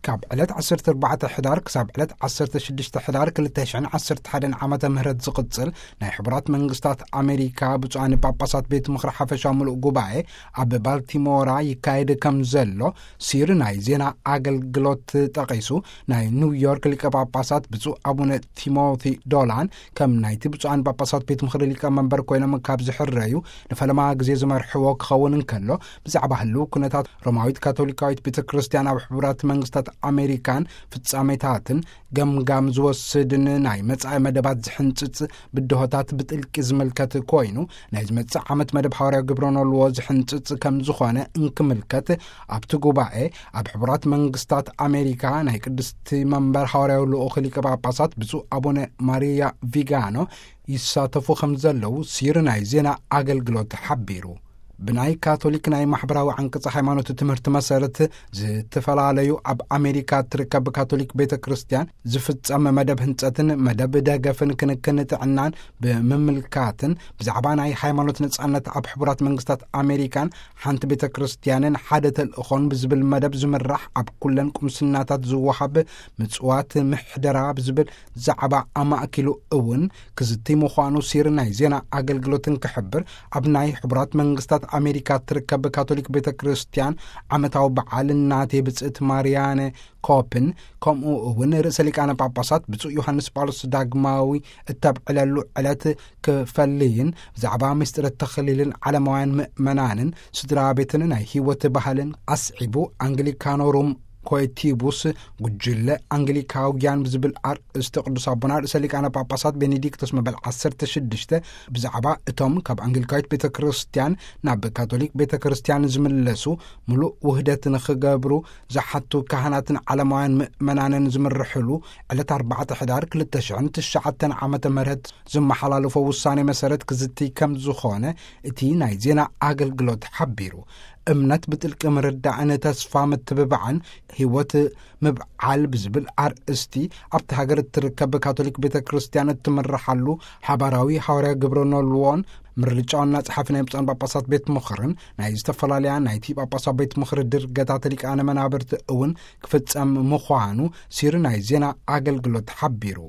ካብ ዕለት ዓሰርተ ኣርባዕተ ሕዳር ክሳብ ዕለት ዓሰርተ ሽዱሽተ ሕዳር ክልተ ሽሕን ዓሰርተ ሓደን ዓመተ ምህረት ዝቕጽል ናይ ሕቡራት መንግስታት ኣሜሪካ ብፁዓን ጳጳሳት ቤት ምኽሪ ሓፈሻዊ ምሉእ ጉባኤ ኣብ ባልቲሞራ ይካየድ ከም ዘሎ ሲር ናይ ዜና ኣገልግሎት ጠቒሱ፣ ናይ ኒውዮርክ ሊቀ ጳጳሳት ብፁዕ ኣቡነ ቲሞቲ ዶላን ከም ናይቲ ብፁዓን ጳጳሳት ቤት ምኽሪ ሊቀ መንበር ኮይኖም ካብ ዝሕረዩ ንፈለማ ግዜ ዝመርሕዎ ክኸውን እንከሎ፣ ብዛዕባ ህልው ኩነታት ሮማዊት ካቶሊካዊት ቤተ ክርስቲያን ኣብ ሕቡራት መንግስታት ኣሜሪካን ፍጻሜታትን ገምጋም ዝወስድን ናይ መጻኢ መደባት ዝሕንጽጽ ብድሆታት ብጥልቂ ዝምልከት ኮይኑ፣ ናይ ዝመጽእ ዓመት መደብ ሓዋርያዊ ግብረ ኖልዎ ዝሕንጽጽ ከም ዝኾነ እንክምልከት፣ ኣብቲ ጉባኤ ኣብ ሕቡራት መንግስታት ኣሜሪካ ናይ ቅድስቲ መንበር ሓዋርያዊ ልኡኽ ሊቀ ጳጳሳት ብፁዕ ኣቡነ ማሪያ ቪጋኖ ይሳተፉ ከም ዘለዉ ሲር ናይ ዜና ኣገልግሎት ሓቢሩ። ብናይ ካቶሊክ ናይ ማሕበራዊ ዓንቀጽ ሃይማኖት ትምህርቲ መሰረት፣ ዝተፈላለዩ ኣብ ኣሜሪካ እትርከብ ካቶሊክ ቤተ ክርስቲያን ዝፍጸም መደብ ህንጸትን መደብ ደገፍን ክንክን ጥዕናን ብምምልካትን፣ ብዛዕባ ናይ ሃይማኖት ነጻነት ኣብ ሕቡራት መንግስታት ኣሜሪካን ሓንቲ ቤተ ክርስቲያንን ሓደ ተልእኾን ብዝብል መደብ ዝምራሕ ኣብ ኩለን ቁምስናታት ዝወሃብ ምጽዋት ምሕደራ ብዝብል ዛዕባ ኣማእኪሉ እውን ክዝቲ ምዃኑ ሲር ናይ ዜና ኣገልግሎትን ክሕብር፣ ኣብ ናይ ሕቡራት መንግስታት ኣሜሪካ እትርከብ ካቶሊክ ቤተ ክርስቲያን ዓመታዊ በዓል እናቴ ብጽእት ማርያነ ኮፕን፣ ከምኡ እውን ርእሰ ሊቃነ ጳጳሳት ብፁዕ ዮሃንስ ጳውሎስ ዳግማዊ እተብዕለሉ ዕለት ክፈልይን፣ ብዛዕባ ምስጢረ ተኽሊልን ዓለማውያን ምእመናንን ስድራ ቤትን ናይ ህይወት ባህልን ኣስዒቡ፣ ኣንግሊካኖ ሩም ኮይቲቡስ፣ ጉጅለ ኣንግሊካውያን ብዝብል ኣርእስቲ ቅዱስ ኣቦና ርእሰ ሊቃነ ጳጳሳት ቤኔዲክቶስ መበል ዓሰርተ ሽዱሽተ ብዛዕባ እቶም ካብ ኣንግሊካዊት ቤተ ክርስቲያን ናብ ካቶሊክ ቤተ ክርስቲያን ዝምለሱ ምሉእ ውህደት ንኽገብሩ ዝሓቱ ካህናትን ዓለማውያን ምእመናንን ዝምርሕሉ ዕለት ኣርባዕተ ሕዳር ክልተ ሽሕን ትሽዓተን ዓመተ ምህረት ዝመሓላለፎ ውሳኔ መሰረት ክዝቲ ከም ዝኾነ እቲ ናይ ዜና ኣገልግሎት ሓቢሩ። እምነት ብጥልቂ ምርዳእን ተስፋ ምትብባዕን ህይወት ምብዓል ብዝብል ኣርእስቲ ኣብቲ ሃገር እትርከብ ካቶሊክ ቤተ ክርስቲያን እትምርሓሉ ሓባራዊ ሓዋርያ ግብረ ኖልዎን ምርጫ ዋና ጸሓፊ ናይ ብፁዓን ጳጳሳት ቤት ምኽርን ናይ ዝተፈላለያ ናይቲ ጳጳሳት ቤት ምኽሪ ድርገታት ሊቃነ መናብርቲ እውን ክፍጸም ምዃኑ ሲሪ ናይ ዜና ኣገልግሎት ሓቢሩ።